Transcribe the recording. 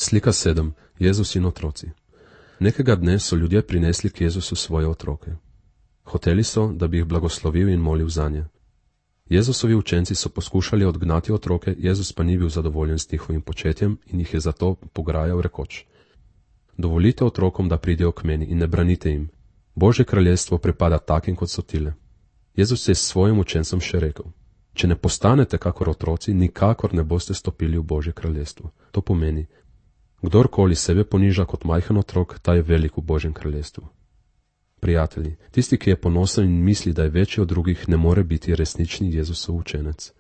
Slika 7. Jezus in otroci. Nekega dne so ljudje prinesli k Jezusu svoje otroke. Hoteli so, da bi jih blagoslovil in molil zanje. Jezusovi učenci so poskušali odgnati otroke, Jezus pa ni bil zadovoljen s njihovim početjem in jih je zato pograjal rekoč: Dovolite otrokom, da pridejo k meni in ne branite jim. Božje kraljestvo pripada takim, kot so tile. Jezus je s svojim učencem še rekel: Če ne postanete kakor otroci, nikakor ne boste stopili v Božje kraljestvo. To pomeni, kdorkoli sebe poniža kot majhen otrok, ta je velik v Božjem kraljestvu. Prijatelji, tisti, ki je ponosen in misli, da je večji od drugih, ne more biti resnični Jezusov učenec.